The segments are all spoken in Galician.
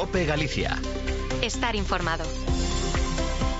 COPE Galicia. Estar informado.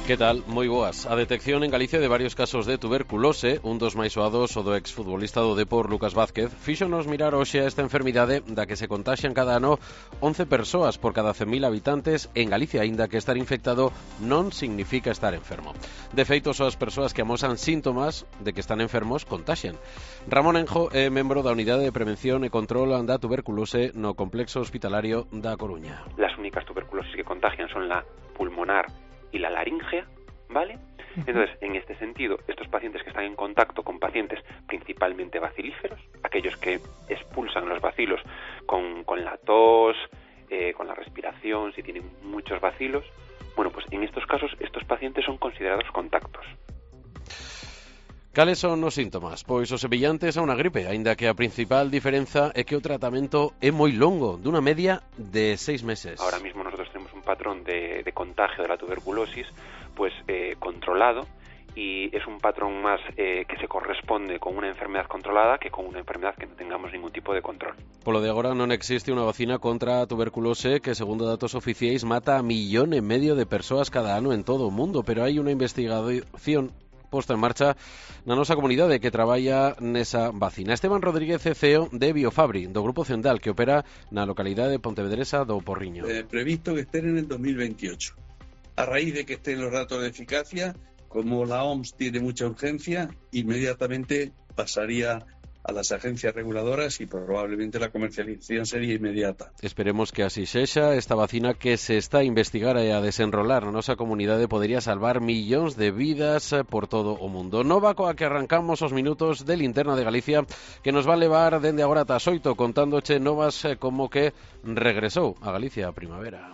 Que tal? Moi boas. A detección en Galicia de varios casos de tuberculose, un dos máis soados o do exfutbolista do Depor Lucas Vázquez, fíxonos mirar hoxe a esta enfermidade da que se contaxian cada ano 11 persoas por cada 100.000 habitantes en Galicia, aínda que estar infectado non significa estar enfermo. De feito, só as persoas que amosan síntomas de que están enfermos contaxian. Ramón Enjo é membro da Unidade de Prevención e Control da Tuberculose no Complexo Hospitalario da Coruña. Las únicas tuberculosis que contagian son la pulmonar y la laringea, ¿vale? Entonces, en este sentido, estos pacientes que están en contacto con pacientes principalmente bacilíferos, aquellos que expulsan los bacilos con la tos, con la respiración, si tienen muchos bacilos, bueno, pues en estos casos, estos pacientes son considerados contactos. Cales son os síntomas? Pois os semellantes a unha gripe, aínda que a principal diferenza é que o tratamento é moi longo, dunha media de 6 meses. Ahora mismo nosotros tenemos un patrón de contagio de la tuberculosis pues controlado, y es un patrón más que se corresponde con una enfermedad controlada que con una enfermedad que no tengamos ningún tipo de control. Polo de agora non existe unha vacina contra a tuberculose que, segundo datos oficiais, mata a 1,5 millón de persoas cada ano en todo o mundo, pero hai unha investigación posta en marcha na nosa comunidade que traballa nesa vacina. Esteban Rodríguez é CEO de Biofabri, do Grupo Cendal, que opera na localidade pontevedresa do Porriño. Previsto que estén en el 2028. A raíz de que estén los datos de eficacia, como la OMS tiene mucha urgencia, inmediatamente pasaría a las agencias reguladoras y probablemente la comercialización sería inmediata. Esperemos que así sexa. Esta vacina que se está a investigar e a desenrolar na nosa comunidade podería salvar millóns de vidas por todo o mundo. Nova coa que arrancamos os minutos de Linterna de Galicia, que nos va a levar dende agora ata as 8 contándoche novas como que regresou a Galicia a primavera.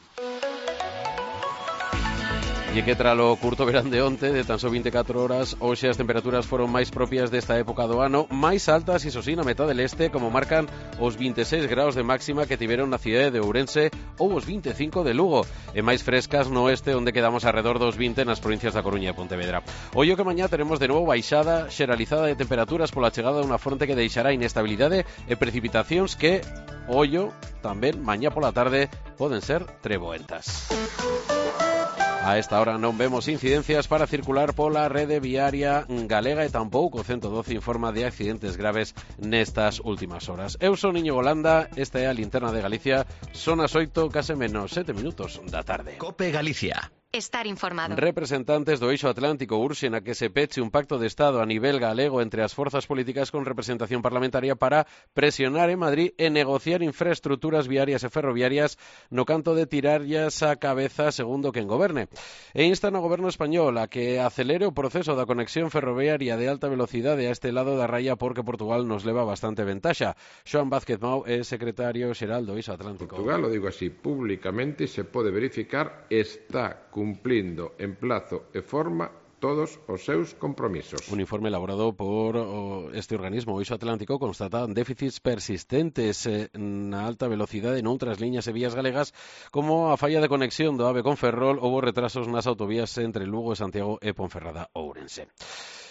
E que tralo curto verán de onte, de tan só 24 horas, hoxe as temperaturas foron máis propias desta época do ano, máis altas, iso sí, na metade leste, como marcan os 26 graus de máxima que tiveron na cidade de Ourense ou os 25 de Lugo, e máis frescas no oeste, onde quedamos alrededor dos 20 nas provincias da Coruña e Pontevedra. Ollo que mañá teremos de novo baixada xeralizada de temperaturas pola chegada dunha fronte que deixará inestabilidade e precipitacións que, ollo, tamén mañá pola tarde poden ser treboentas. A esta hora non vemos incidencias para circular pola rede viaria galega e tampouco o 112 informa de accidentes graves nestas últimas horas. Eu son Iñigo Landa, esta é a Linterna de Galicia, son as 8, case menos 7 minutos da tarde. COPE Galicia. Estar informado. Representantes do Eixo Atlántico urxen a que se peche un pacto de Estado a nivel galego entre as forzas políticas con representación parlamentaria para presionar en Madrid e negociar infraestructuras viarias e ferroviarias no canto de tirarllas a cabeza segundo quen goberne. E instan ao goberno español a que acelere o proceso da conexión ferroviaria de alta velocidade a este lado da raya porque Portugal nos leva bastante ventaxa. Xoan Vázquez Mau é secretario xeral do Eixo Atlántico. Portugal, lo digo así públicamente, se pode verificar, está cumplindo en plazo e forma todos os seus compromisos. Un informe elaborado por este organismo, o Eixo Atlántico, constata déficits persistentes na alta velocidade noutras liñas e vías galegas, como a falla de conexión do AVE con Ferrol ou os retrasos nas autovías entre Lugo e Santiago e Ponferrada Ourense.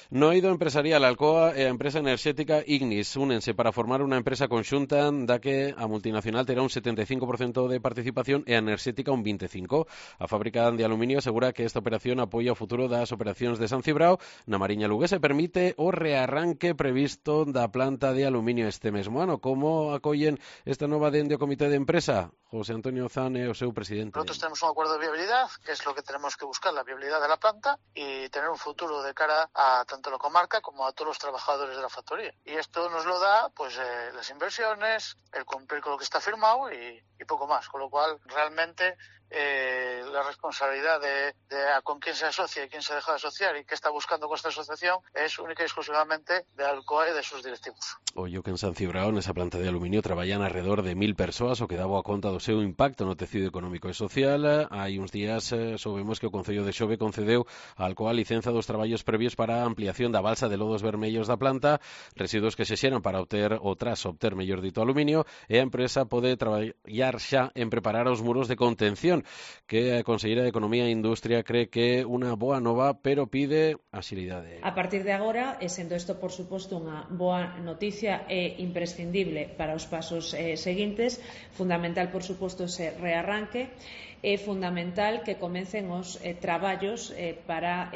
No eido empresarial, Alcoa e a empresa enerxética Ignis únense para formar unha empresa conxunta da que a multinacional terá un 75% de participación e a enerxética un 25%. A fábrica de aluminio asegura que esta operación apoia o futuro das operacións de San Cibrao na Mariña Luguesa e permite o rearranque previsto da planta de aluminio este mesmo ano. Como acollen esta nova dende o comité de empresa? José Antonio Zan é o seu presidente. Nosotros tenemos un acuerdo de viabilidad, que es lo que tenemos que buscar, la viabilidad de la planta y tener un futuro de cara a tanto la comarca como a todos los trabajadores de la factoría. Y esto nos lo da pues las inversiones, el cumplir con lo que está firmado y poco más. Con lo cual, realmente, la responsabilidad de con quién se asocia y quién se deja de asociar y qué está buscando con esta asociación es única y exclusivamente de Alcoa e de sus directivos. Ollo que en San Cibrao, nesa planta de aluminio, traballan alrededor de 1.000 persoas, o que daba a conta do seu impacto no tecido económico e social. Hai uns días soubemos que o Concello de Xove concedeu a Alcoa a licenza dos traballos previos para a ampliación expropiación da balsa de lodos vermellos da planta, residuos que se xeran para obter, ou tras obter, mellor dito, aluminio, e a empresa pode traballar xa en preparar os muros de contención, que a Conselleira de Economía e Industria cree que é unha boa nova, pero pide axilidade. A partir de agora, e sendo isto, por suposto, unha boa noticia e imprescindible para os pasos seguintes, fundamental, por suposto, ese rearranque, é fundamental que comecen os traballos para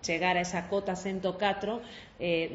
chegar a esa cota 104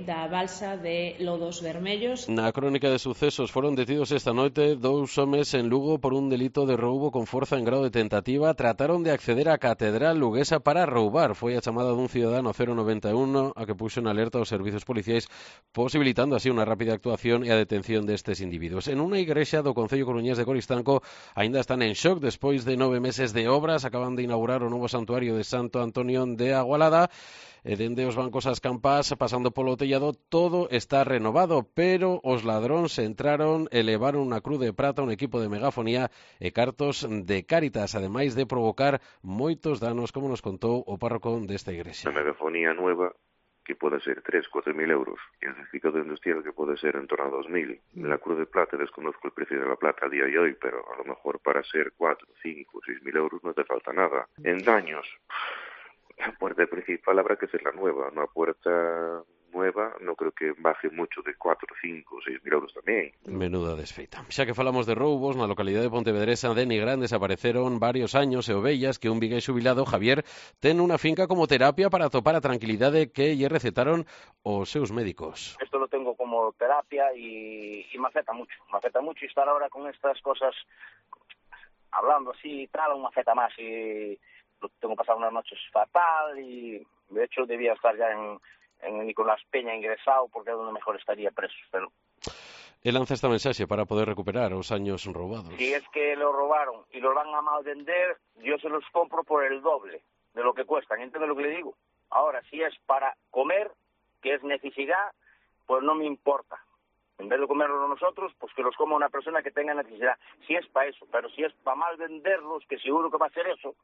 da balsa de lodos vermellos. Na crónica de sucesos foron detidos esta noite 2 homes en Lugo por un delito de roubo con forza en grado de tentativa. Trataron de acceder á catedral luguesa para roubar. Foi a chamada dun cidadano 091 a que puxo en alerta os servizos policiais, posibilitando así unha rápida actuación e a detención destes individuos. En unha igrexa do Concello coruñés de Coristanco aínda están en shock despois de 9 meses de obras. Acaban de inaugurar o novo santuario de Santo Antonio de Agualada. E dende os bancos ás campás, pasando polo tellado, todo está renovado, pero os ladróns entraron e levaron unha cruz de prata, un equipo de megafonía e cartos de Cáritas, ademais de provocar moitos danos, como nos contou o párroco desta igrexa. Una megafonía nueva que puede ser 3-4 mil euros, y el certificado industrial que puede ser en torno a 2.000. La cruz de plata, desconozco el precio de la plata a día de hoy, pero a lo mejor para ser 4, 5, 6 mil euros no te falta nada. En daños, la puerta principal habrá que ser la nueva. Una puerta nueva no creo que baje mucho de 4, 5, 6 mil euros tamén. Menuda desfeita. Xa que falamos de roubos, na localidade de Pontevedresa de Nigrán desapareceron varios años e ovellas que un vigués xubilado, Javier, ten unha finca como terapia para atopar a tranquilidade que lle recetaron os seus médicos. Esto lo tengo como terapia y me afecta mucho y estar ahora con estas cosas hablando así y tal, me afecta más y tengo pasado unas noches fatal y de hecho debía estar ya en Nicolás Peña ingresado porque es donde mejor estaría preso, pero... Él lanza esta mensaxe para poder recuperar os años roubados. Si es que lo robaron y los van a mal vender, yo se los compro por el doble de lo que cuestan, ¿entiendes lo que le digo? Ahora, si es para comer, que es necesidad, pues no me importa. En vez de comerlos nosotros, pues que los coma una persona que tenga necesidad. Si es para eso, pero si es para mal venderlos, que seguro que va a ser eso,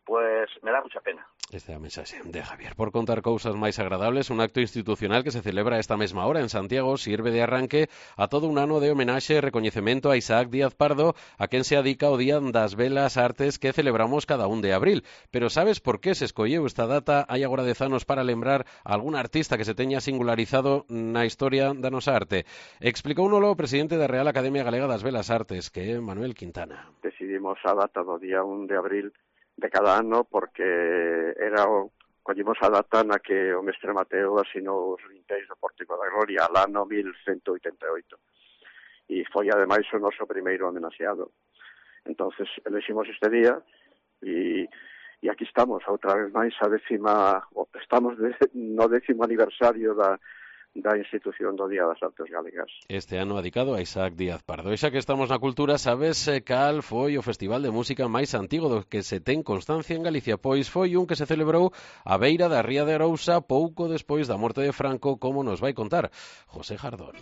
pues me da mucha pena. Esta é a mensaxe de Javier. Por contar cousas máis agradables, un acto institucional que se celebra esta mesma hora en Santiago sirve de arranque a todo un ano de homenaxe e recoñecemento a Isaac Díaz Pardo, a quen se adica o Día das Belas Artes que celebramos cada 1 de abril. Pero sabes por que se escolleu esta data hai agora 10 anos para lembrar a algún artista que se teña singularizado na historia da nosa arte? Explicóunolo o presidente da Real Academia Galega das Belas Artes, que é Manuel Quintana. Decidimos a data do día 1 de abril de cada ano porque collimos a data na que o mestre Mateo asinou os vintéis do Pórtico da Gloria al ano 1188 e foi ademais o noso primeiro homenaxeado. Entonces elegimos este día e aquí estamos outra vez máis estamos no 10º aniversario da institución do Día das Artes Galegas. Este ano dedicado a Isaac Díaz Pardo. E xa que estamos na cultura, sabes cal foi o festival de música máis antigo do que se ten constancia en Galicia? Pois foi un que se celebrou á beira da ría de Arousa pouco despois da morte de Franco, como nos vai contar José Jardón.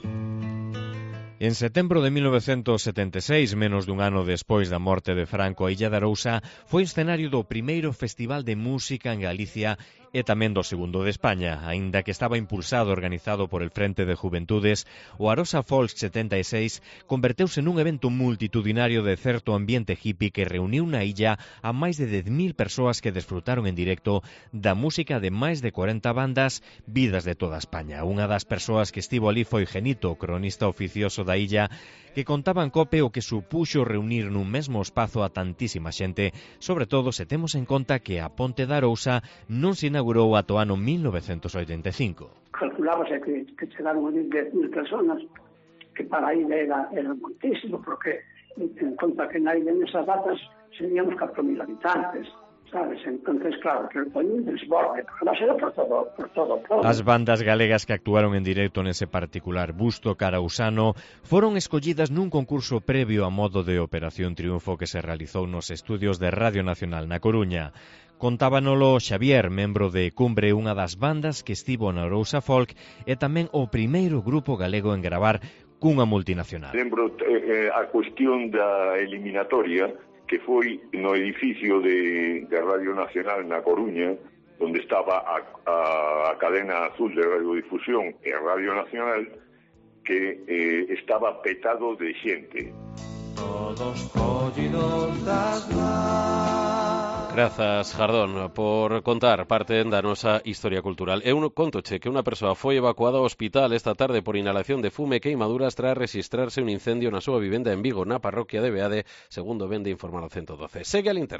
En setembro de 1976, menos dun ano despois da morte de Franco, a Illa de Arousa foi escenario do primeiro festival de música en Galicia e tamén do segundo de España, aínda que estaba impulsado e organizado por el Frente de Juventudes. O Arosa Folk 76 converteuse nun evento multitudinario de certo ambiente hippie que reuniu na illa a máis de 10.000 persoas que desfrutaron en directo da música de máis de 40 bandas vidas de toda España. Unha das persoas que estivo ali foi Genito, cronista oficioso da illa, que contaban cope o que supuxo reunir nun mesmo espazo a tantísima xente, sobre todo se temos en conta que a Ponte da Arousa non se inaugurou ata o ano 1985. Calculábase que chegaron a 10.000 personas, que para a illa era muitísimo, porque en conta que na illa nesas datas seríamos 4.000 habitantes, sabes? Entonces, claro, que foi un desborde, pero era por todo. As bandas galegas que actuaron en directo nese particular busto carausano foron escollidas nun concurso previo a modo de Operación Triunfo que se realizou nos estudios de Radio Nacional na Coruña. Contábanolo Xavier, membro de Cumbre, unha das bandas que estivo na Arousa Folk e tamén o primeiro grupo galego en gravar cunha multinacional. Lembro a cuestión da eliminatoria que foi no edificio de Radio Nacional na Coruña, donde estaba a cadena azul de radiodifusión e a Radio Nacional, que estaba petado de xente. Todos collidos das mans. Grazas, Jardón, por contar parte da nosa historia cultural. Eu contoche que unha persoa foi evacuada ao hospital esta tarde por inhalación de fume e queimaduras tras rexistrarse un incendio na súa vivenda en Vigo, na parroquia de Beade, segundo vende informar o 112. Segue a linterna.